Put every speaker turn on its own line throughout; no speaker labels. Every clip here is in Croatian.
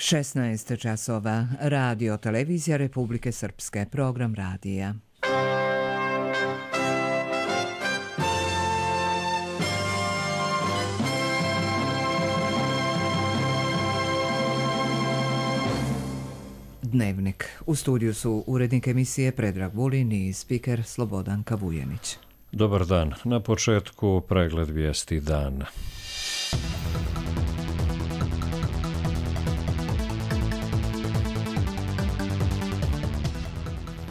16 časova. Radio Televizija Republike Srpske. Program radija. Dnevnik. U studiju su urednik emisije Predrag Vulin i spiker Slobodan Kavujenić.
Dobar dan. Na početku pregled vijesti dana.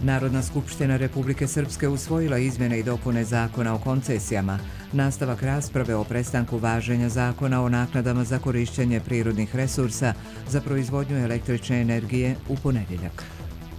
Narodna skupština Republike Srpske usvojila izmjene i dopune Zakona o koncesijama. Nastavak rasprave o prestanku važenja Zakona o naknadama za korištenje prirodnih resursa za proizvodnju električne energije u ponedjeljak.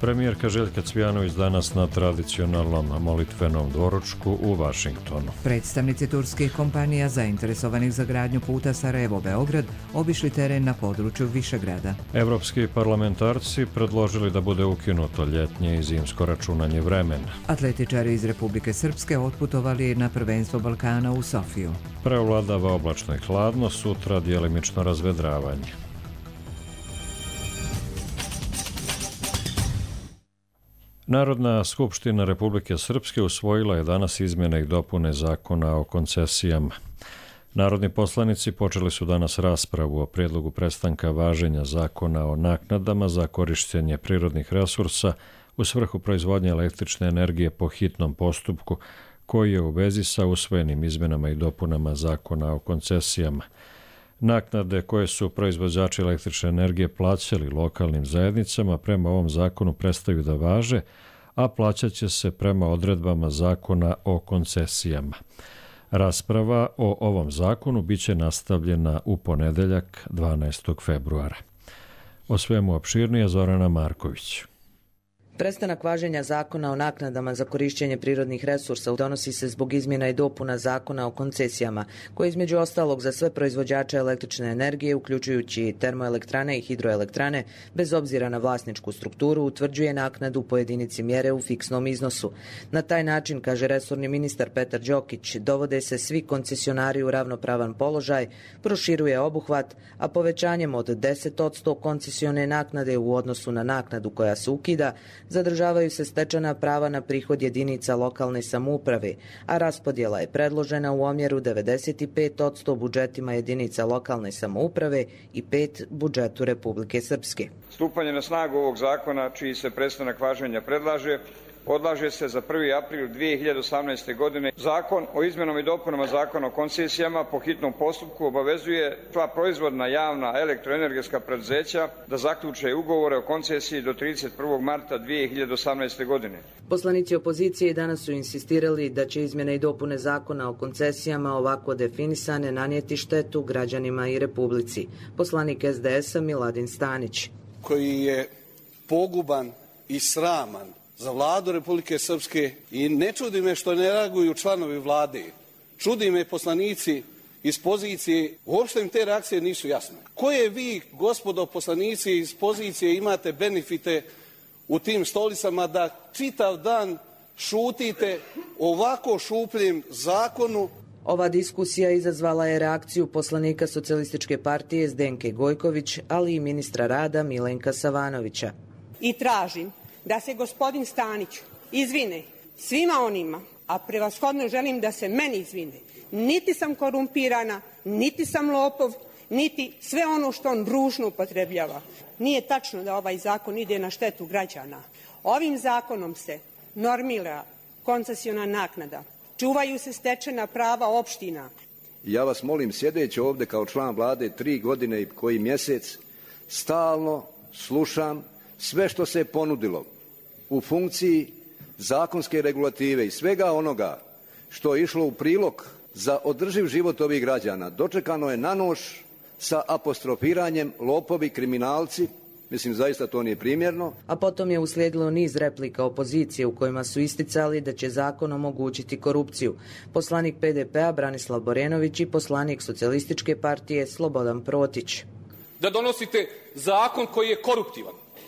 Premijerka Željka Cvijanović danas na tradicionalnom molitvenom doručku u Vašingtonu.
Predstavnici turskih kompanija zainteresovanih za gradnju puta Sarajevo-Beograd obišli teren na području Višegrada.
Evropski parlamentarci predložili da bude ukinuto ljetnje i zimsko računanje vremena.
Atletičari iz Republike Srpske otputovali na prvenstvo Balkana u Sofiju.
Preovladava oblačno i hladno, sutra djelimično razvedravanje. Narodna skupština Republike Srpske usvojila je danas izmjene i dopune Zakona o koncesijama. Narodni poslanici počeli su danas raspravu o prijedlogu prestanka važenja Zakona o naknadama za korištenje prirodnih resursa u svrhu proizvodnje električne energije po hitnom postupku, koji je u vezi sa usvojenim izmjenama i dopunama Zakona o koncesijama. Naknade koje su proizvođači električne energije plaćali lokalnim zajednicama prema ovom zakonu prestaju da važe, a plaćat će se prema odredbama Zakona o koncesijama. Rasprava o ovom zakonu biće nastavljena u ponedjeljak 12. februara. O svemu opširnije Zorana Marković.
Prestanak važenja Zakona o naknadama za korištenje prirodnih resursa donosi se zbog izmjena i dopuna Zakona o koncesijama, koji između ostalog za sve proizvođače električne energije, uključujući termoelektrane i hidroelektrane, bez obzira na vlasničku strukturu, utvrđuje naknadu po jedinici mjere u fiksnom iznosu. Na taj način, kaže resorni ministar Petar Đokić, dovode se svi koncesionari u ravnopravan položaj, proširuje obuhvat, a povećanjem od 10% koncesione naknade u odnosu na naknadu koja se ukida, zadržavaju se stečena prava na prihod jedinica lokalne samouprave, a raspodjela je predložena u omjeru 95% budžetima jedinica lokalne samouprave i 5% budžetu Republike Srpske.
Stupanje na snagu ovog zakona, čiji se prestanak važenja predlaže, odlaže se za 1. april 2018. godine. Zakon o izmjenama i dopunama Zakona o koncesijama po hitnom postupku obavezuje sva proizvodna javna elektroenergetska preduzeća da zaključe ugovore o koncesiji do 31. marta 2018. godine.
Poslanici opozicije danas su insistirali da će izmjene i dopune Zakona o koncesijama ovako definisane nanijeti štetu građanima i Republici. Poslanik SDS-a Miladin Stanić.
Koji je poguban i sraman za vladu Republike Srpske i ne čudi me što ne reaguju članovi vlade. Čudi me poslanici iz pozicije, uopšte im te reakcije nisu jasne. Koje vi, gospodo poslanici iz pozicije, imate benefite u tim stolicama da čitav dan šutite ovako šupljem zakonu?
Ova diskusija izazvala je reakciju poslanika Socijalističke partije Zdenke Gojković, ali i ministra rada Milenka Savanovića.
I tražim da se gospodin Stanić izvine svima onima, a prevashodno želim da se meni izvine. Niti sam korumpirana, niti sam lopov, niti sve ono što on ružno upotrebljava. Nije tačno da ovaj zakon ide na štetu građana. Ovim zakonom se normira koncesiona naknada, čuvaju se stečena prava opština.
Ja vas molim, sjedeći ovdje kao član vlade 3 godine i koji mjesec, stalno slušam sve što se je ponudilo u funkciji zakonske regulative i svega onoga što je išlo u prilog za održiv život ovih građana. Dočekano je na nož sa apostrofiranjem lopovi, kriminalci. Mislim, zaista to nije primjerno.
A potom je uslijedilo niz replika opozicije u kojima su isticali da će zakon omogućiti korupciju. Poslanik PDP-a Branislav Borenović i poslanik Socijalističke partije Slobodan Protić.
Da donosite zakon koji je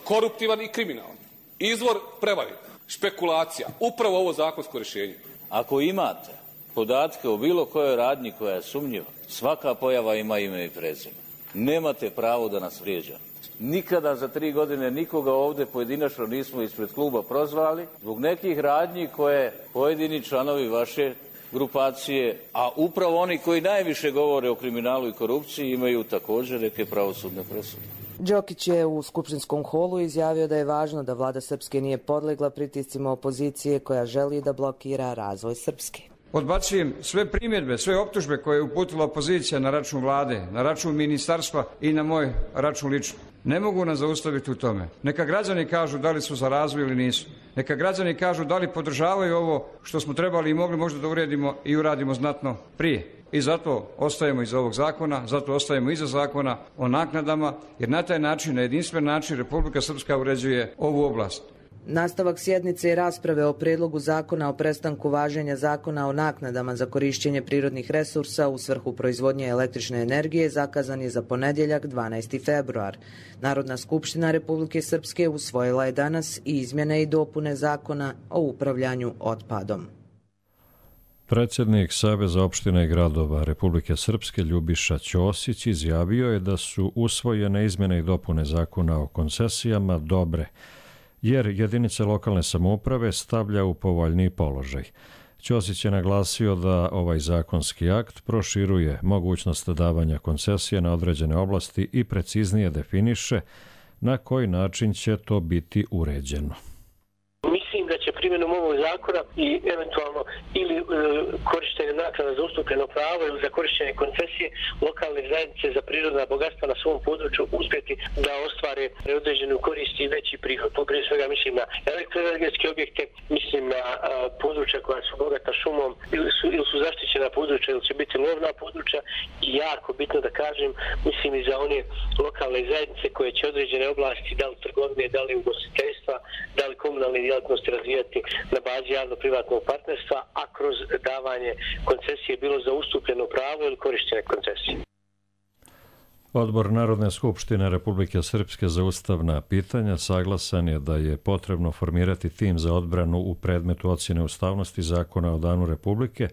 koruptivan i kriminalan, izvor prevari, špekulacija, upravo ovo zakonsko rješenje.
Ako imate podatke o bilo kojoj radnji koja je sumnjiva, svaka pojava ima ime i prezime. Nemate pravo da nas vrijeđate. Nikada za 3 godine nikoga ovdje pojedinačno nismo ispred kluba prozvali zbog nekih radnji koje pojedini članovi vaše grupacije, a upravo oni koji najviše govore o kriminalu i korupciji imaju također neke pravosudne presude.
Đokić je u skupštinskom holu izjavio da je važno da vlada Srpske nije podlegla pritiscima opozicije koja želi da blokira razvoj Srpske.
Odbacujem sve primjedbe, sve optužbe koje je uputila opozicija na račun vlade, na račun ministarstva i na moj račun lično. Ne mogu nas zaustaviti u tome. Neka građani kažu da li su za razvoj ili nisu. Neka građani kažu da li podržavaju ovo što smo trebali i mogli možda da uredimo i uradimo znatno prije. I zato ostajemo iza ovog zakona, zato ostajemo iza zakona o naknadama, jer na taj način, na jedinstven način, Republika Srpska uređuje ovu oblast.
Nastavak sjednice i rasprave o prijedlogu zakona o prestanku važenja zakona o naknadama za korišćenje prirodnih resursa u svrhu proizvodnje električne energije zakazan je za ponedjeljak 12. februar. Narodna skupština Republike Srpske usvojila je danas i izmjene i dopune zakona o upravljanju otpadom.
Predsjednik Saveza opština i gradova Republike Srpske Ljubiša Ćosić izjavio je da su usvojene izmjene i dopune zakona o koncesijama dobre, jer jedinice lokalne samouprave stavlja u povoljniji položaj. Ćosić je naglasio da ovaj zakonski akt proširuje mogućnost davanja koncesije na određene oblasti i preciznije definiše na koji način će to biti uređeno.
Mislim da će primjenom ovog zakona i eventualno ili korištenje naknada za ustupljeno pravo ili za korištenje koncesije lokalne zajednice za prirodna bogatstva na svom području uspjeti da ostvare određenu korist i veći prihod. Prije svega mislim na elektroenergetske objekte, mislim na područja koja su bogata šumom ili su zaštićena područja ili će biti lovna područja i jako bitno da kažem, mislim i za one lokalne zajednice koje će određene oblasti, da li trgovine, da li ugostiteljstva, da li komunalne djelatnosti razvijati na bazi javno-privatnog partnerstva, a kroz davanje koncesije bilo za ustupljeno pravo ili korištenje koncesije.
Odbor Narodne skupštine Republike Srpske za ustavna pitanja saglasan je da je potrebno formirati tim za odbranu u predmetu ocjene ustavnosti zakona o Danu Republike,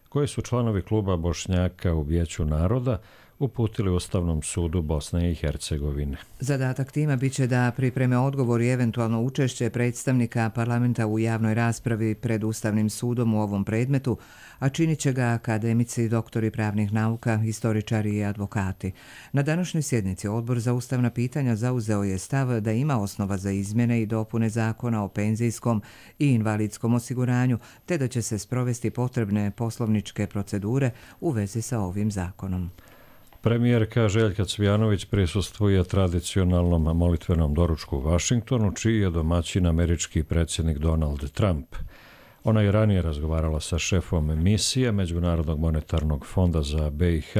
koji su članovi kluba Bošnjaka u Vijeću naroda uputili Ustavnom sudu Bosne i Hercegovine.
Zadatak tima biće da pripreme odgovor i eventualno učešće predstavnika parlamenta u javnoj raspravi pred Ustavnim sudom u ovom predmetu, a činit će ga akademici, doktori pravnih nauka, historičari i advokati. Na današnjoj sjednici Odbor za ustavna pitanja zauzeo je stav da ima osnova za izmjene i dopune zakona o penzijskom i invalidskom osiguranju, te da će se sprovesti potrebne poslovničke procedure u vezi sa ovim zakonom.
Premijerka Željka Cvijanović prisustvuje tradicionalnom molitvenom doručku u Vašingtonu, čiji je domaćin američki predsjednik Donald Trump. Ona je ranije razgovarala sa šefom misije Međunarodnog monetarnog fonda za BiH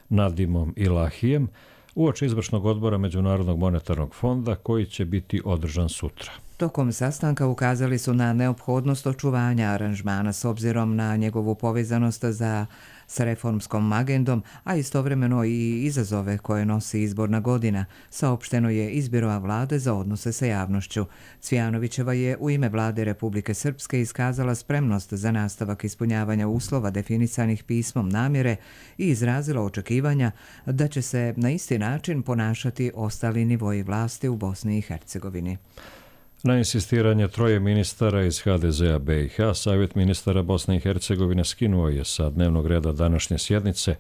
Nadimom Ilahijem uoči izvršnog odbora Međunarodnog monetarnog fonda koji će biti održan sutra.
Tokom sastanka ukazali su na neophodnost očuvanja aranžmana s obzirom na njegovu povezanost sa reformskom agendom, a istovremeno i izazove koje nosi izborna godina, saopšteno je iz Biroa vlade za odnose sa javnošću. Cvijanovićeva je u ime vlade Republike Srpske iskazala spremnost za nastavak ispunjavanja uslova definisanih pismom namjere i izrazila očekivanja da će se na isti način ponašati ostali nivoji vlasti u Bosni i Hercegovini.
Na insistiranje troje ministara iz HDZ-a BiH, Savjet ministara Bosne i Hercegovine skinuo je sa dnevnog reda današnje sjednice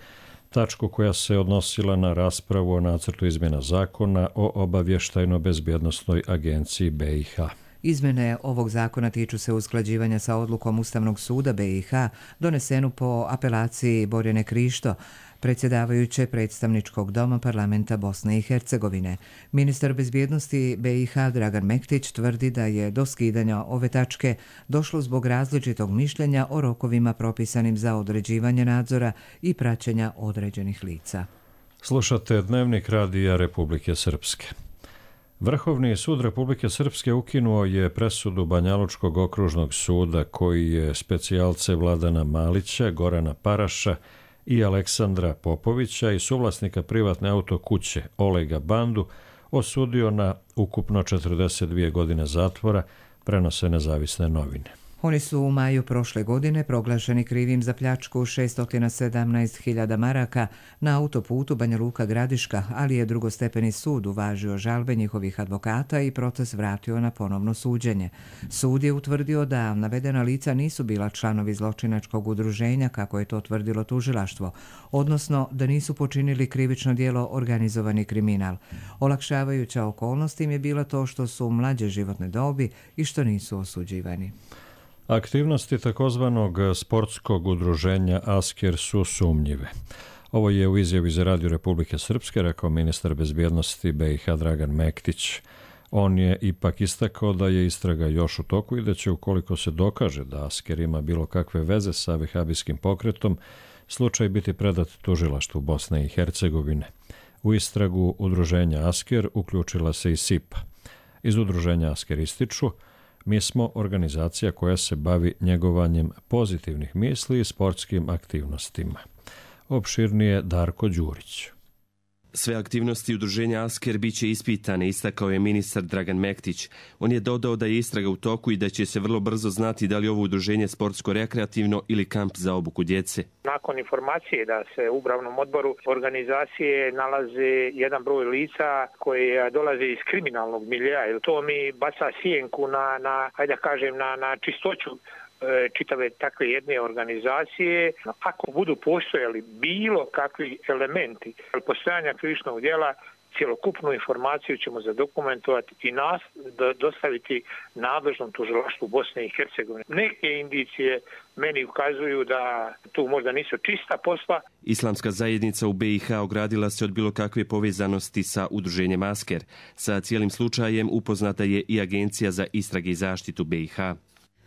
tačku koja se odnosila na raspravu o nacrtu izmjena zakona o obavještajno-bezbjednosnoj agenciji BiH.
Izmjene ovog zakona tiču se usklađivanja sa odlukom Ustavnog suda BiH donesenu po apelaciji Borjane Krišto, predsjedavajuće predstavničkog doma parlamenta Bosne i Hercegovine. Ministar bezbjednosti BiH Dragan Mektić tvrdi da je do skidanja ove tačke došlo zbog različitog mišljenja o rokovima propisanim za određivanje nadzora i praćenja određenih lica.
Slušate Dnevnik radija Republike Srpske. Vrhovni sud Republike Srpske ukinuo je presudu Banjalučkog okružnog suda koji je specijalce Vladana Malića, Gorana Paraša i Aleksandra Popovića i suvlasnika privatne autokuće Olega Bandu osudio na ukupno 42 godine zatvora, prenose Nezavisne novine.
Oni su u maju prošle godine proglašeni krivim za pljačku 617.000 maraka na autoputu Banja Luka-Gradiška, ali je drugostepeni sud uvažio žalbe njihovih advokata i proces vratio na ponovno suđenje. Sud je utvrdio da navedena lica nisu bila članovi zločinačkog udruženja, kako je to tvrdilo tužilaštvo, odnosno da nisu počinili krivično djelo organizovani kriminal. Olakšavajuća okolnost im je bila to što su mlađe životne dobi i što nisu osuđivani.
Aktivnosti takozvanog sportskog udruženja Asker su sumnjive. Ovo je u izjavi za Radio Republike Srpske rekao ministar bezbjednosti BiH Dragan Mektić. On je ipak istakao da je istraga još u toku i da će, ukoliko se dokaže da Asker ima bilo kakve veze sa vehabijskim pokretom, slučaj biti predat tužilaštvu Bosne i Hercegovine. U istragu udruženja Asker uključila se i SIPA. Iz udruženja Asker ističu: mi smo organizacija koja se bavi njegovanjem pozitivnih misli i sportskim aktivnostima. Opširnije Darko Đurić.
Sve aktivnosti udruženja Asker biće ispitane, istakao je ministar Dragan Mektić. On je dodao da je istraga u toku i da će se vrlo brzo znati da li ovo udruženje sportsko-rekreativno ili kamp za obuku djece.
Nakon informacije da se u upravnom odboru organizacije nalaze jedan broj lica koji dolaze iz kriminalnog miljeja, jer to mi baca sjenku na čistoću čitave takve jedne organizacije. Ako budu postojali bilo kakvi elementi postojanja krivičnog djela, cjelokupnu informaciju ćemo zadokumentovati i dostaviti nadležnom tužilaštvu Bosne i Hercegovine. Neke indicije meni ukazuju da tu možda nisu čista posla.
Islamska zajednica u BiH ogradila se od bilo kakve povezanosti sa udruženjem Asker. Sa cijelim slučajem upoznata je i Agencija za istrage i zaštitu BiH.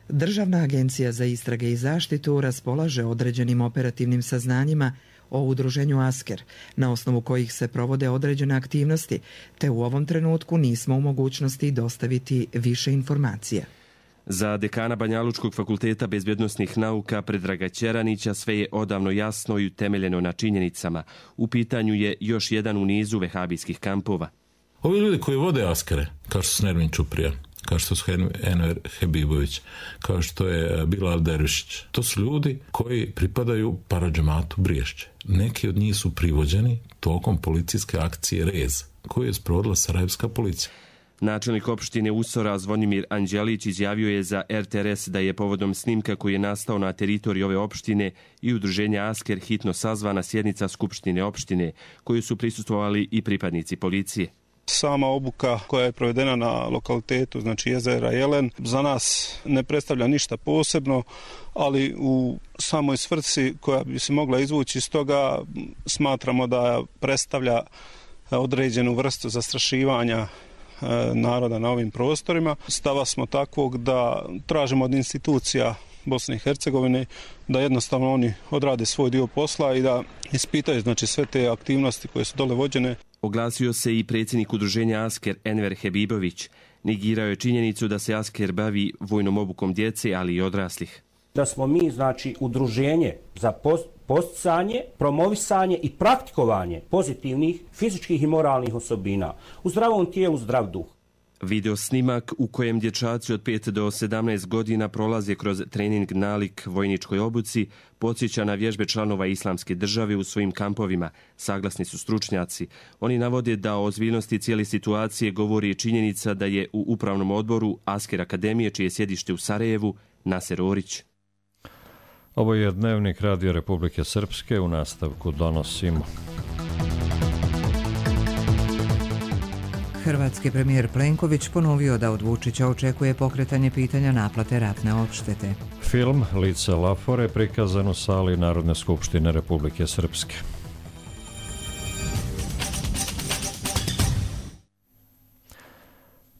Državna agencija za istrage i zaštitu raspolaže određenim operativnim saznanjima o udruženju Asker, na osnovu kojih se provode određene aktivnosti, te u ovom trenutku nismo u mogućnosti dostaviti više informacija.
Za dekana Banjalučkog fakulteta bezbjednosnih nauka Predraga Ćeranića sve je odavno jasno i utemeljeno na činjenicama. U pitanju je još jedan u nizu vehabijskih kampova.
Ovi ljudi koji vode Askere, kao što su Nermin Čuprija, kao što su Enver Hebibović, kao što je Bilal Dervišić, to su ljudi koji pripadaju paradžematu Briješće. Neki od njih su privođeni tokom policijske akcije Rez, koju je sprovodila sarajevska policija.
Načelnik opštine Usora Zvonimir Anđelić izjavio je za RTRS da je povodom snimka koji je nastao na teritoriji ove opštine i udruženja Asker hitno sazvana sjednica Skupštine opštine, koju su prisustvovali i pripadnici policije.
Sama obuka koja je provedena na lokalitetu, znači jezera Jelen, za nas ne predstavlja ništa posebno, ali u samoj svrsi koja bi se mogla izvući iz toga smatramo da predstavlja određenu vrstu zastrašivanja naroda na ovim prostorima. Stava smo takvog da tražimo od institucija Bosne i Hercegovine da jednostavno oni odrade svoj dio posla i da ispitaju znači sve te aktivnosti koje su dole vođene.
Oglasio se i predsjednik udruženja Asker Enver Hebibović. Negirao je činjenicu da se Asker bavi vojnom obukom djece, ali i odraslih.
Da smo mi, znači, udruženje za posticanje, promovisanje i praktikovanje pozitivnih fizičkih i moralnih osobina. U zdravom tijelu, zdrav duh.
Video snimak u kojem dječaci od 5 do 17 godina prolaze kroz trening nalik vojničkoj obuci podsjeća na vježbe članova Islamske države u svojim kampovima, saglasni su stručnjaci. Oni navode da o ozbiljnosti cijele situacije govori činjenica da je u upravnom odboru Asker Akademije, čije sjedište u Sarajevu, Naser Orić.
Ovo je Dnevnik Radio Republike Srpske, u nastavku donosimo.
Hrvatski premijer Plenković ponovio da od Vučića očekuje pokretanje pitanja naplate ratne odštete.
Film Lice Lafore prikazan u sali Narodne skupštine Republike Srpske.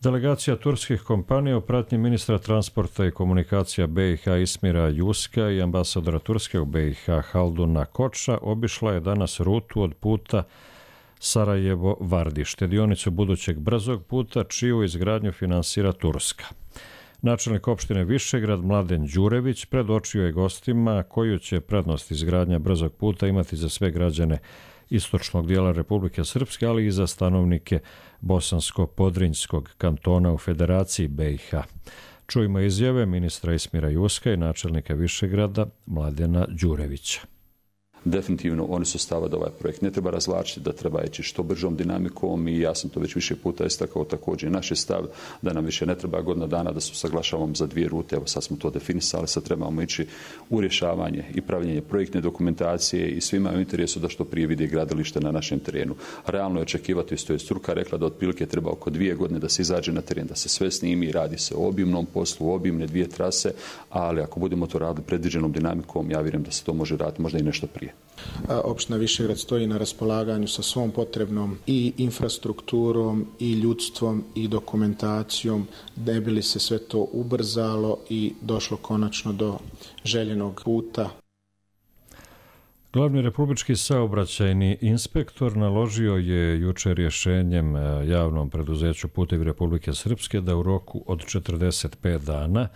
Delegacija turskih kompanija u pratnji ministra transporta i komunikacija BiH Ismira Juska i ambasadora Turske u BiH Halduna Koča obišla je danas rutu od puta Sarajevo-Vardište, dionicu budućeg brzog puta čiju izgradnju finansira Turska. Načelnik opštine Višegrad Mladen Đurević predočio je gostima koju će prednost izgradnja brzog puta imati za sve građane istočnog dijela Republike Srpske, ali i za stanovnike Bosansko-Podrinjskog kantona u Federaciji BiH. Čujmo izjave ministra Ismira Juska i načelnika Višegrada Mladena Đurevića.
Definitivno oni su stava da ovaj projekt ne treba razvlačiti, da treba ići što bržom dinamikom i ja sam to već više puta istakao, također naš je stav da nam više ne treba godina dana da se usaglašavamo za 2 rute, evo sad smo to definisali, sad trebamo ići u rješavanje i pravljenje projektne dokumentacije i svima je u interesu da što prije vidi gradilište na našem terenu. Realno je očekivati, isto je struka rekla da otprilike treba oko 2 godine da se izađe na teren, da se sve snimi, radi se o obimnom poslu, obimne 2 trase, ali ako budemo to radili predviđenom dinamikom, ja vjerujem da se to može raditi možda i nešto prije.
Opština Višegrad stoji na raspolaganju sa svom potrebnom i infrastrukturom i ljudstvom i dokumentacijom da bi li se sve to ubrzalo i došlo konačno do željenog puta.
Glavni republički saobraćajni inspektor naložio je jučer rješenjem javnom preduzeću Putevi Republike Srpske da u roku od 45 dana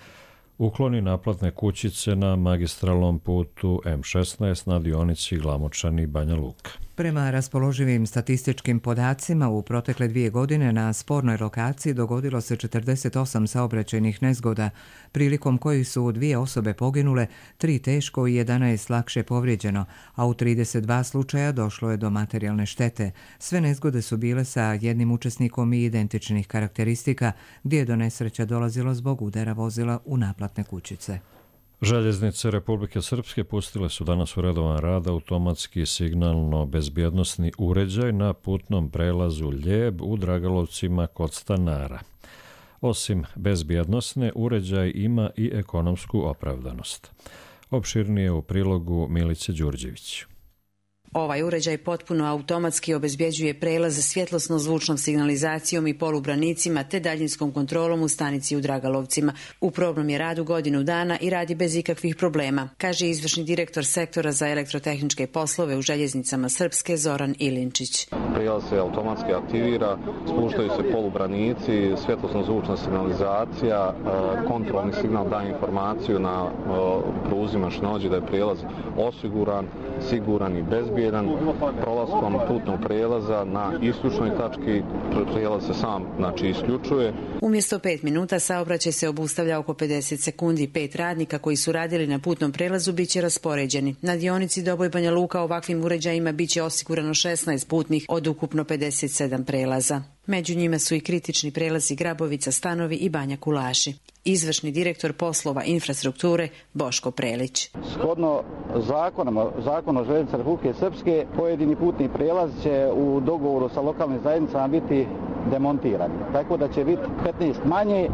ukloni naplatne kućice na magistralnom putu M16 na dionici Glamočani-Banja Luka.
Prema raspoloživim statističkim podacima, u protekle 2 godine na spornoj lokaciji dogodilo se 48 saobraćajnih nezgoda, prilikom kojih su 2 osobe poginule, 3 teško i 11 lakše povrijeđeno, a u 32 slučaja došlo je do materijalne štete. Sve nezgode su bile sa jednim učesnikom i identičnih karakteristika, gdje je do nesreća dolazilo zbog udara vozila u naplatne kućice.
Željeznice Republike Srpske pustile su danas u redovan rad automatski signalno-bezbjednosni uređaj na putnom prelazu Ljeb u Dragalovcima kod stanara. Osim bezbjednosne, uređaj ima i ekonomsku opravdanost. Opširnije u prilogu Milice Đurđević.
Ovaj uređaj potpuno automatski obezbjeđuje prelaz svjetlosno-zvučnom signalizacijom i polubranicima te daljinskom kontrolom u stanici u Dragalovcima. U probnom je radu godinu dana i radi bez ikakvih problema, kaže izvršni direktor sektora za elektrotehničke poslove u Željeznicama Srpske Zoran Ilinčić.
Prijelaz se automatski aktivira, spuštaju se polubranici, svjetlosno-zvučna signalizacija, kontrolni signal daje informaciju na pruzi mašinođi da je prijelaz osiguran, siguran i bezbjedan. Prolaskom putnog prijelaza na istočnoj tački prijelaz se sam isključuje.
Umjesto 5 minuta saobraćaj se obustavlja oko 50 sekundi. 5 radnika koji su radili na putnom prelazu bit će raspoređeni. Na dionici Doboj-Banja Luka ovakvim uređajima bit će osigurano 16 putnih od ukupno 57 prelaza. Među njima su i kritični prelazi Grabovica, Stanovi i Banja Kulaši. Izvršni direktor poslova infrastrukture Boško Prelić.
Shodno Zakonu o željeznicama Republike Srpske, pojedini putni prijelaz će u dogovoru sa lokalnim zajednicama biti demontirani. Tako da će biti 15 manje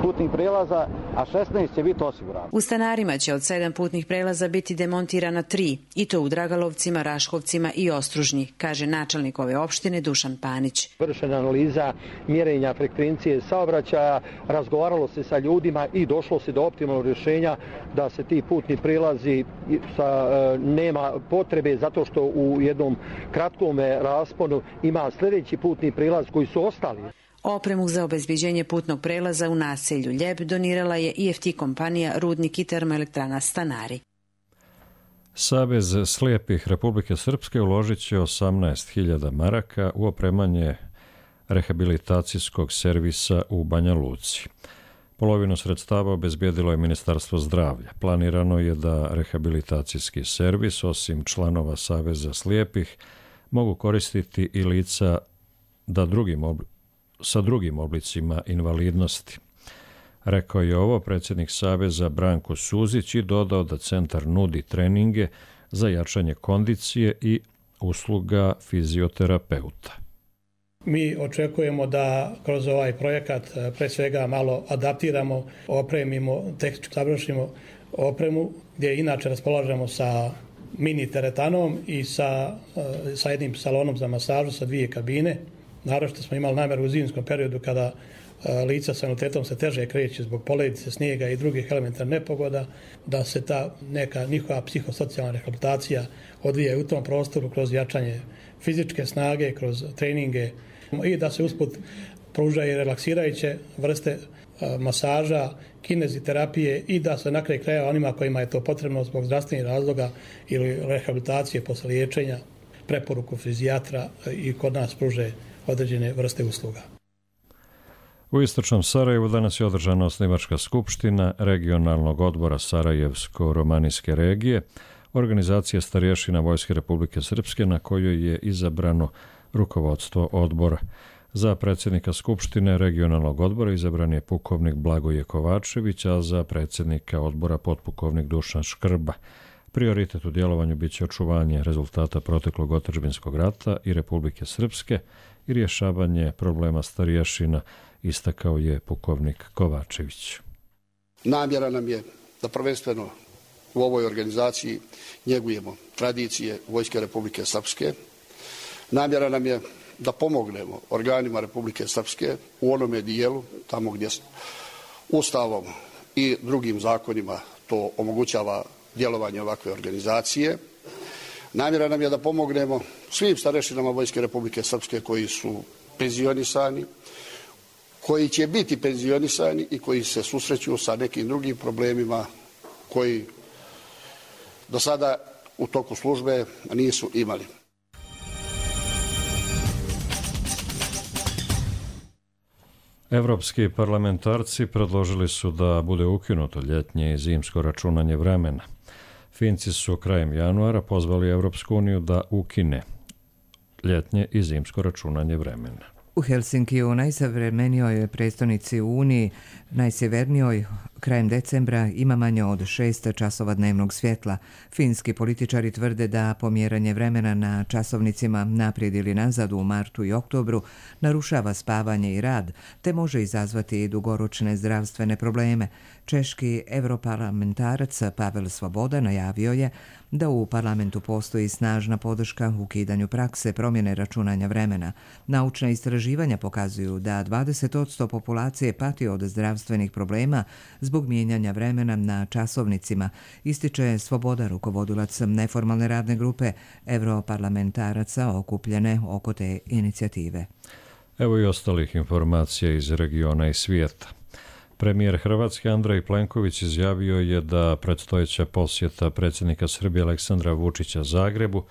putnih prijelaza, a 16 će biti osigurano.
U Stanarima će od 7 putnih prelaza biti demontirana 3, i to u Dragalovcima, Raškovcima i Ostružnji, kaže načelnik ove opštine Dušan Panić.
Vršena analiza mjerenja frekvencije saobraćaja, razgovaralo se sa ljudima i došlo se do optimalnog rješenja da se ti putni prilazi nema potrebe zato što u jednom kratkom rasponu ima sljedeći putni prilaz koji su ostali.
Opremu za obezbeđenje putnog prelaza u naselju Ljeb donirala je IFT kompanija Rudnik i termoelektrana Stanari.
Savez slijepih Republike Srpske uložit će 18.000 maraka u opremanje rehabilitacijskog servisa u Banja Luci. Polovinu sredstava obezbijedilo je Ministarstvo zdravlja. Planirano je da rehabilitacijski servis, osim članova Saveza slijepih, mogu koristiti i lica sa drugim oblicima invalidnosti. Rekao je ovo predsjednik Saveza Branko Suzić i dodao da centar nudi treninge za jačanje kondicije i usluga fizioterapeuta.
Mi očekujemo da kroz ovaj projekat pre svega malo adaptiramo, opremimo, tehnički savršimo opremu gdje inače raspolažemo sa mini teretanom i sa jednim salonom za masažu sa 2 kabine. Naravno smo imali namjeru u zimskom periodu kada lica sa invaliditetom se teže kreće zbog poledice, snijega i drugih elementarnih nepogoda, da se ta neka njihova psihosocijalna rehabilitacija odvija u tom prostoru kroz jačanje fizičke snage, kroz treninge i da se usput pružaju relaksirajuće vrste masaža, kineziterapije i da se na kraju kraja onima kojima je to potrebno zbog zdravstvenih razloga ili rehabilitacije posle liječenja, preporuku fizijatra i kod nas pruže određene vrste usluga.
U istočnom Sarajevu danas je održana osnivačka skupština regionalnog odbora Sarajevsko-romanijske regije, organizacije starješina Vojske Republike Srpske, na kojoj je izabrano rukovodstvo odbora. Za predsjednika skupštine regionalnog odbora izabran je pukovnik Blagoje Kovačević, a za predsjednika odbora potpukovnik Dušan Škrba. Prioritet u djelovanju biće očuvanje rezultata proteklog otadžbinskog rata i Republike Srpske i rješavanje problema starješina, istakao je pukovnik Kovačević.
Namjera nam je da prvenstveno u ovoj organizaciji njegujemo tradicije Vojske Republike Srpske. Namjera nam je da pomognemo organima Republike Srpske u onome dijelu, tamo gdje Ustavom i drugim zakonima to omogućava djelovanje ovakve organizacije. Namjera nam je da pomognemo svim starešinama Vojske Republike Srpske koji su penzionisani, koji će biti penzionisani i koji se susreću sa nekim drugim problemima koji do sada u toku službe nisu imali.
Evropski parlamentarci predložili su da bude ukinuto ljetnje i zimsko računanje vremena. Finci su krajem januara pozvali Evropsku uniju da ukine ljetnje i zimsko računanje vremena.
U Helsinkiju, najsavremenijoj prestonici u Uniji, najsjevernijoj, krajem decembra ima manje od 6 časova dnevnog svjetla. Finski političari tvrde da pomjeranje vremena na časovnicima naprijed ili nazad u martu i oktobru narušava spavanje i rad, te može izazvati dugoročne zdravstvene probleme. Češki europarlamentarac Pavel Svoboda najavio je da u parlamentu postoji snažna podrška ukidanju prakse promjene računanja vremena. Naučna istraživanja pokazuju da 20% populacije pati od zdravstvenih problema zbog mijenjanja vremena na časovnicima, ističe Svoboda, rukovodilac neformalne radne grupe europarlamentaraca okupljene oko te inicijative.
Evo i ostalih informacija iz regiona i svijeta. Premijer Hrvatske Andrej Plenković izjavio je da predstojeća posjeta predsjednika Srbije Aleksandra Vučića Zagrebu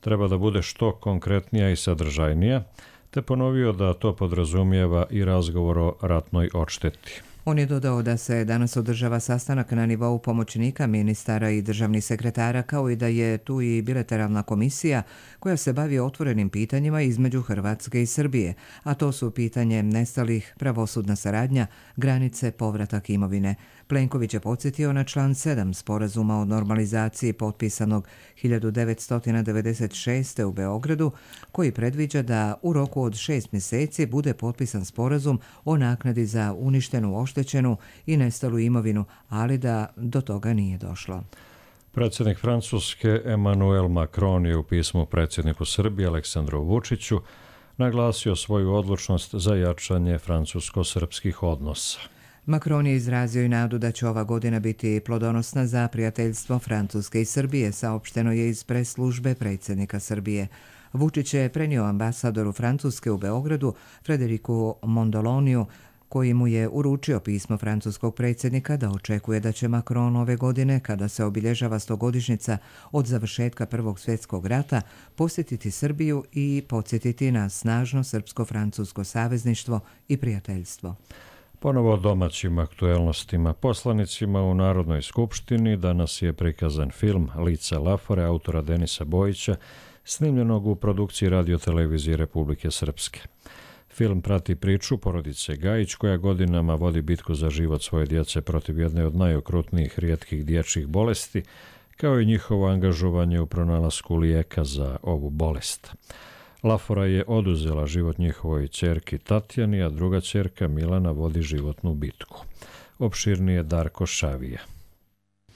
treba da bude što konkretnija i sadržajnija, te ponovio da to podrazumijeva i razgovor o ratnoj odšteti.
On je dodao da se danas održava sastanak na nivou pomoćnika ministara i državnih sekretara, kao i da je tu i bilateralna komisija koja se bavi otvorenim pitanjima između Hrvatske i Srbije, a to su pitanje nestalih, pravosudna saradnja, granice, povratak imovine. Plenković je podsjetio na član 7 sporazuma o normalizaciji potpisanog 1996. u Beogradu, koji predviđa da u roku od 6 mjeseci bude potpisan sporazum o naknadi za uništenu, oštećenu i nestalu imovinu, ali da do toga nije došlo.
Predsjednik Francuske Emmanuel Macron je u pismu predsjedniku Srbije Aleksandru Vučiću naglasio svoju odlučnost za jačanje francusko-srpskih odnosa.
Macron je izrazio i nadu da će ova godina biti plodonosna za prijateljstvo Francuske i Srbije, saopšteno je iz pres službe predsjednika Srbije. Vučić je prenio ambasadoru Francuske u Beogradu, Frederiku Mondoloniju, koji mu je uručio pismo francuskog predsjednika da očekuje da će Macron ove godine, kada se obilježava 100-godišnjica od završetka Prvog svjetskog rata, posjetiti Srbiju i podsjetiti na snažno srpsko-francusko savezništvo i prijateljstvo.
Ponovo o domaćim aktuelnostima. Poslanicima u Narodnoj skupštini danas je prikazan film Lica Lafore autora Denisa Bojića, snimljenog u produkciji Radio-televizije Republike Srpske. Film prati priču porodice Gajić, koja godinama vodi bitku za život svoje djece protiv jedne od najokrutnijih rijetkih dječjih bolesti, kao i njihovo angažovanje u pronalasku lijeka za ovu bolest. Lafora je oduzela život njihovoj ćerki Tatjani, a druga ćerka Milana vodi životnu bitku. Opširnije Darko Šavija.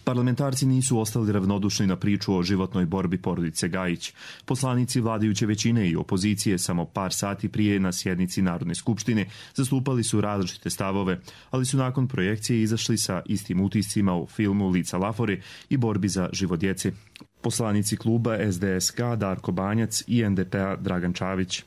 Parlamentarci nisu ostali ravnodušni na priču o životnoj borbi porodice Gajić. Poslanici vladajuće većine i opozicije samo par sati prije na sjednici Narodne skupštine zastupali su različite stavove, ali su nakon projekcije izašli sa istim utiscima u filmu Lica Lafore i borbi za život djece. Poslanici kluba SDSK Darko Banjac i NDP-a Dragan Čavić.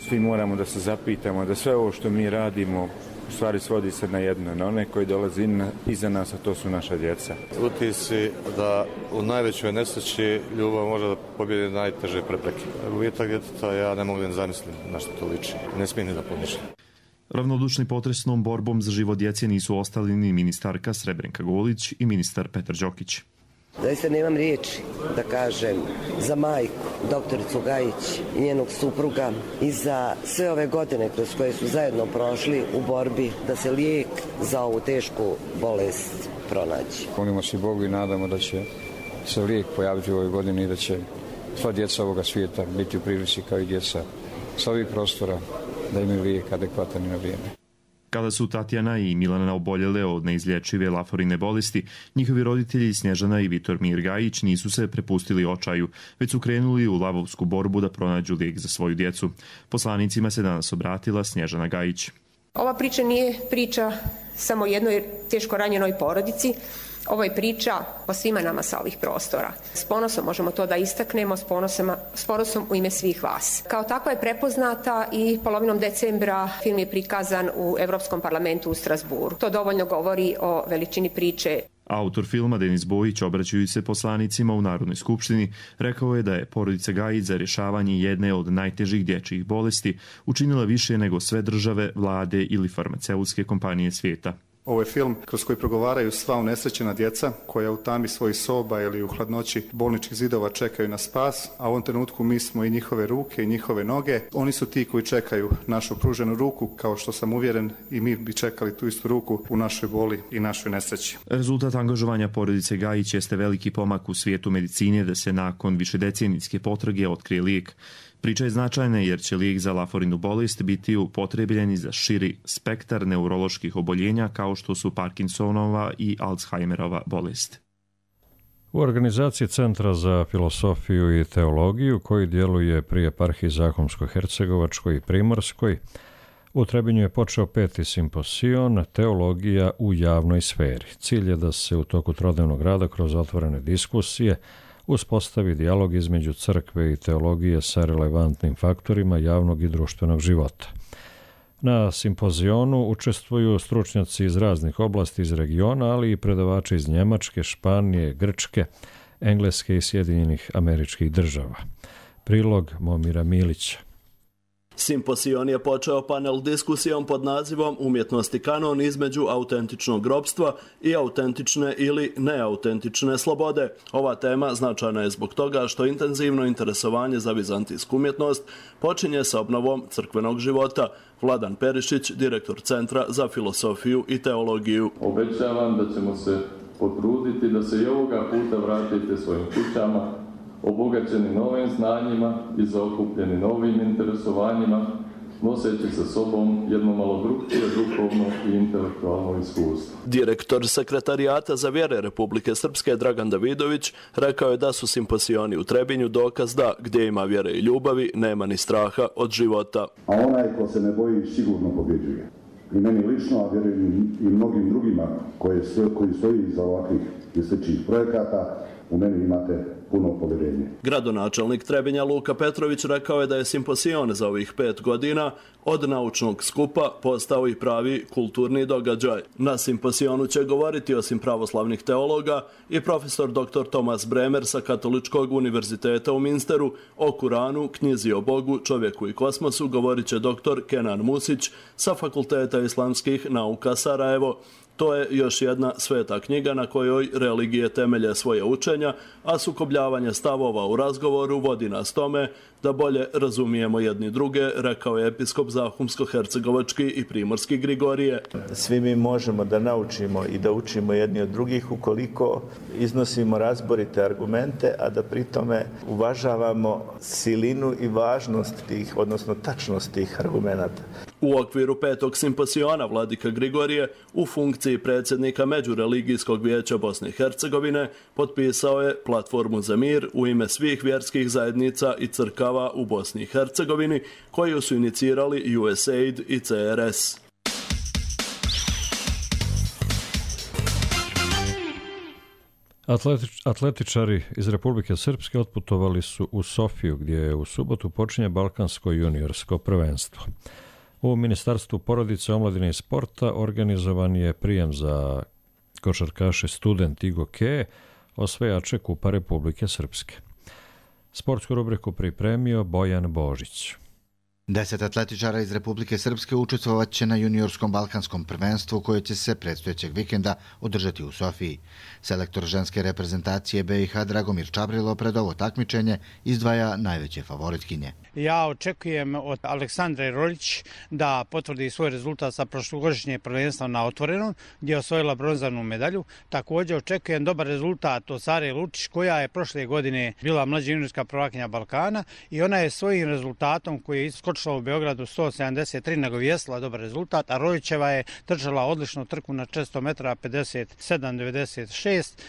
Svi moramo da se zapitamo da sve ovo što mi radimo u stvari svodi se na jedno, na one koji dolaze iza nas, a to su naša djeca.
Utisci da u najvećoj nesreći ljubav može da pobjedi najteže prepreke. Gubitak djeteta ja ne mogu da zamislim na što to liči. Ne smijem ni da pomišljam.
Ravnodušni potresnom borbom za život djece nisu ostali ni ministarka Srebrenka Golić i ministar Petar Đokić.
Zaista nemam riječi da kažem za majku, doktoricu Gajić i njenog supruga i za sve ove godine kroz koje su zajedno prošli u borbi da se lijek za ovu tešku bolest pronaći.
Molimo se Bogu i nadamo da će se lijek pojaviti u ovoj godini i da će sva djeca ovoga svijeta biti u prilici kao i djeca sa ovih prostora da imaju lijek adekvatan i na vrijeme.
Kada su Tatjana i Milana oboljele od neizlječive laforine bolesti, njihovi roditelji Snježana i Vitor Mir Gajić nisu se prepustili očaju, već su krenuli u lavovsku borbu da pronađu lijek za svoju djecu. Poslanicima se danas obratila Snježana Gajić.
Ova priča nije priča samo jednoj teško ranjenoj porodici, ovo je priča o svima nama sa ovih prostora. S ponosom možemo to da istaknemo, s ponosom u ime svih vas. Kao takva je prepoznata i polovinom decembra film je prikazan u Europskom parlamentu u Strasburu. To dovoljno govori o veličini priče.
Autor filma Denis Bojić, obraćajući se poslanicima u Narodnoj skupštini, rekao je da je porodica Gajić za rješavanje jedne od najtežih dječjih bolesti učinila više nego sve države, vlade ili farmaceutske kompanije svijeta.
Ovo je film kroz koji progovaraju sva unesrećena djeca koja u tami svojih soba ili u hladnoći bolničkih zidova čekaju na spas, a u ovom trenutku mi smo i njihove ruke i njihove noge. Oni su ti koji čekaju našu pruženu ruku, kao što sam uvjeren i mi bi čekali tu istu ruku u našoj boli i našoj nesreći.
Rezultat angažovanja porodice Gajić jeste veliki pomak u svijetu medicine da se nakon višedecenijske potrage otkrije lijek. Priča je značajna jer će lijek za laforinu bolest biti upotrebljen za širi spektar neuroloških oboljenja kao što su Parkinsonova i Alzheimerova bolest.
U organizaciji Centra za filosofiju i teologiju, koji djeluje pri eparhiji Zahumsko-hercegovačkoj i Primorskoj, u Trebinju je počeo 5. simposion Teologija u javnoj sferi. Cilj je da se u toku trodnevnog rada kroz otvorene diskusije uspostavi dijalog između crkve i teologije sa relevantnim faktorima javnog i društvenog života. Na simpozionu učestvuju stručnjaci iz raznih oblasti iz regiona, ali i predavači iz Njemačke, Španije, Grčke, Engleske i Sjedinjenih Američkih Država. Prilog Momira Milića.
Simposion je počeo panel diskusijom pod nazivom Umjetnosti kanon između autentičnog ropstva i autentične ili neautentične slobode. Ova tema značajna je zbog toga što intenzivno interesovanje za vizantijsku umjetnost počinje sa obnovom crkvenog života. Vladan Perišić, direktor Centra za filosofiju i teologiju.
Obećavam da ćemo se potruditi da se i ovoga puta vratite svojim kućama, obogaćeni novim znanjima i zaokupljeni novim interesovanjima, noseći sa sobom jedno malo drugčije duhovno i intelektualno iskustvo.
Direktor Sekretarijata za vjere Republike Srpske Dragan Davidović rekao je da su simposioni u Trebinju dokaz da gdje ima vjere i ljubavi nema ni straha od života.
A onaj ko se ne boji sigurno pobjeđuje. I meni lično, a vjerujem i mnogim drugima koji stoji iza ovakvih i sličnih projekata, u meni imate puno povjerenje.
Gradonačelnik Trebinja Luka Petrović rekao je da je simposion za ovih 5 godina od naučnog skupa postao i pravi kulturni događaj. Na simposionu će govoriti osim pravoslavnih teologa i profesor dr. Tomas Bremer sa Katoličkog univerziteta u Minsteru. O Kuranu, knjizi o Bogu, čovjeku i kosmosu govorit će dr. Kenan Musić sa Fakulteta islamskih nauka Sarajevo. To je još jedna sveta knjiga na kojoj religije temelje svoje učenja, a sukobljavanje stavova u razgovoru vodi nas tome da bolje razumijemo jedni druge, rekao je episkop Zahumsko-hercegovački i Primorski Grigorije.
Svi mi možemo da naučimo i da učimo jedni od drugih ukoliko iznosimo razborite argumente, a da pri tome uvažavamo silinu i važnost tih, odnosno tačnost tih argumenata.
U okviru 5. simposiona vladika Grigorije u funkciji predsjednika Međureligijskog vijeća Bosne i Hercegovine potpisao je platformu za mir u ime svih vjerskih zajednica i crkava u Bosni i Hercegovini koju su inicirali USAID i CRS.
Atletičari iz Republike Srpske otputovali su u Sofiju gdje u subotu počinje Balkansko juniorsko prvenstvo. U Ministarstvu porodice, omladine i sporta organizovan je prijem za košarkaše Student i Gokeje, osvajače Kupa Republike Srpske. Sportsku rubriku pripremio Bojan Božić.
10 atletičara iz Republike Srpske učestvovat će na juniorskom balkanskom prvenstvu koje će se predstojećeg vikenda održati u Sofiji. Selektor ženske reprezentacije BiH Dragomir Čabrilo pred ovo takmičenje izdvaja najveće favoritkinje.
Ja očekujem od Aleksandre Roljić da potvrdi svoj rezultat sa prošlogodišnje prvenstva na otvorenom, gdje je osvojila bronzanu medalju. Također očekujem dobar rezultat od Sare Lučić, koja je prošle godine bila mlađa juniorska prvakinja Balkana i ona je svojim rezultatom koji je iskočila u Beogradu 173 nagovijestila dobar rezultat, a Roljićeva je držala odličnu trku na 400 metara 57,96,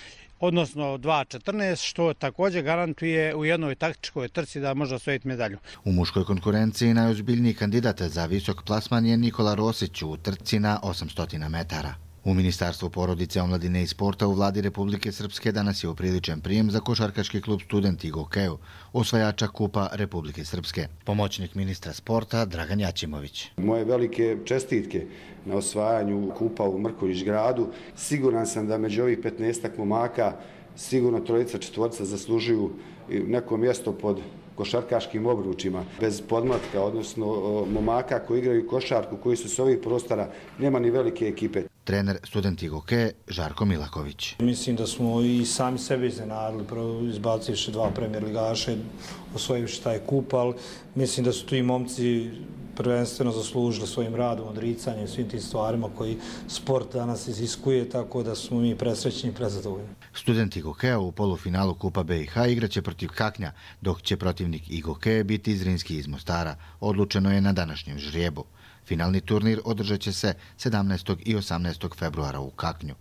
odnosno 2.14, što također garantuje u jednoj taktičkoj trci da može osvojiti medalju.
U muškoj konkurenciji najozbiljniji kandidat za visok plasman je Nikola Rosić u trci na 800 metara. U Ministarstvu porodice, omladine i sporta u Vladi Republike Srpske danas je upriličen prijem za košarkaški klub Student i Gokeju, osvajača Kupa Republike Srpske. Pomoćnik ministra sporta Dragan Jačimović.
Moje velike čestitke na osvajanju Kupa u Mrkonjić gradu. Siguran sam da među ovih 15 momaka sigurno trojica, četvorica zaslužuju neko mjesto pod košarkaškim obručima. Bez podmlatka, odnosno momaka koji igraju košarku, koji su s ovih prostora, nema ni velike ekipe.
Trener Student Gokeje Žarko Milaković.
Mislim da smo i sami sebe iznenadili, izbacivši 2 premijer ligaše, osvojivši taj kup, ali mislim da su tu i momci prvenstveno zaslužili svojim radom, odricanjem, svim tim stvarima koji sport danas iziskuje, tako da smo mi presrećni i prezadovoljni.
Student Gokeja u polufinalu Kupa BiH igraće protiv Kaknja, dok će protivnik Gokeje biti Zrinski iz Mostara. Odlučeno je na današnjem žrijebu. Finalni turnir održat će se 17. i 18. februara u Kaknju.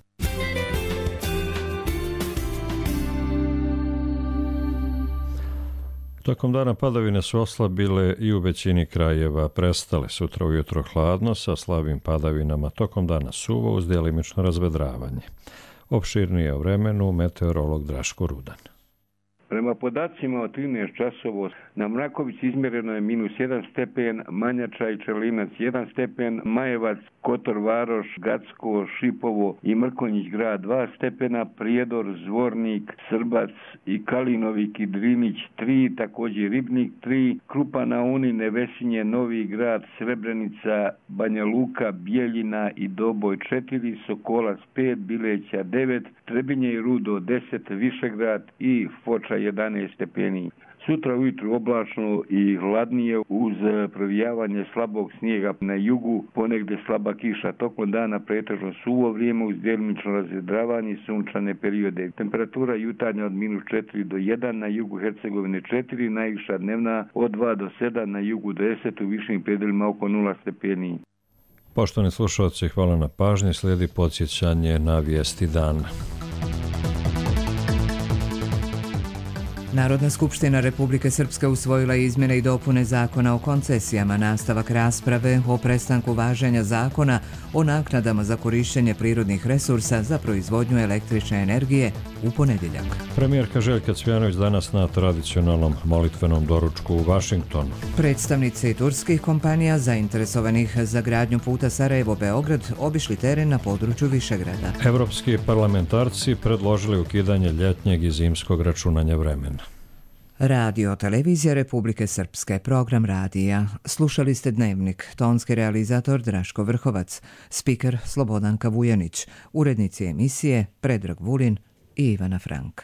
Tokom dana padavine su oslabile i u većini krajeva prestale. Sutra ujutro hladno sa slabim padavinama, tokom dana suvo uz djelimično razvedravanje. Opširnije o vremenu meteorolog Draško Rudan.
Prema podacima od 13 časova na Mrakovici izmjereno je -1 stepen, Manjača i Čelinac 1 stepen, Majevac, Kotor Varoš, Gacko, Šipovo i Mrkonjić grad 2 stepena, Prijedor, Zvornik, Srbac i Kalinovik i Drinić 3, također Ribnik 3, Krupa na Uni, Nevesinje, Novi grad, Srebrenica, Banja Luka, Bijeljina i Doboj 4, Sokolac 5, Bileća 9, Trebinje i Rudo 10, Višegrad i Foča 11 stepeni. Sutra ujutru oblačno i hladnije uz provijavanje slabog snijega na jugu, ponegdje slaba kiša. Tokom dana pretežno suvo vrijeme uz djelimično razvedravanje i sunčane periode. Temperatura jutarnja od -4 do 1, na jugu Hercegovine 4, najviša dnevna od 2 do 7, na jugu 10, u višim predjelima oko 0 stepeni.
Poštovani slušalci, hvala na pažnji. Slijedi podsjećanje na vijesti dana.
Narodna skupština Republike Srpske usvojila izmjene i dopune zakona o koncesijama, nastavak rasprave o prestanku važenja zakona o naknadama za korištenje prirodnih resursa za proizvodnju električne energije u ponedjeljak.
Premijerka Željka Cvjanović danas na tradicionalnom molitvenom doručku u Vašingtonu.
Predstavnici turskih kompanija zainteresovanih za gradnju puta Sarajevo-Beograd obišli teren na području Višegrada.
Evropski parlamentarci predložili ukidanje ljetnjeg i zimskog računanja vremena.
Radio Televizija Republike Srpske, program radija. Slušali ste Dnevnik, tonski realizator Draško Vrhovac, spiker Slobodanka Vujanić, urednici emisije Predrag Vulin i Ivana Frank.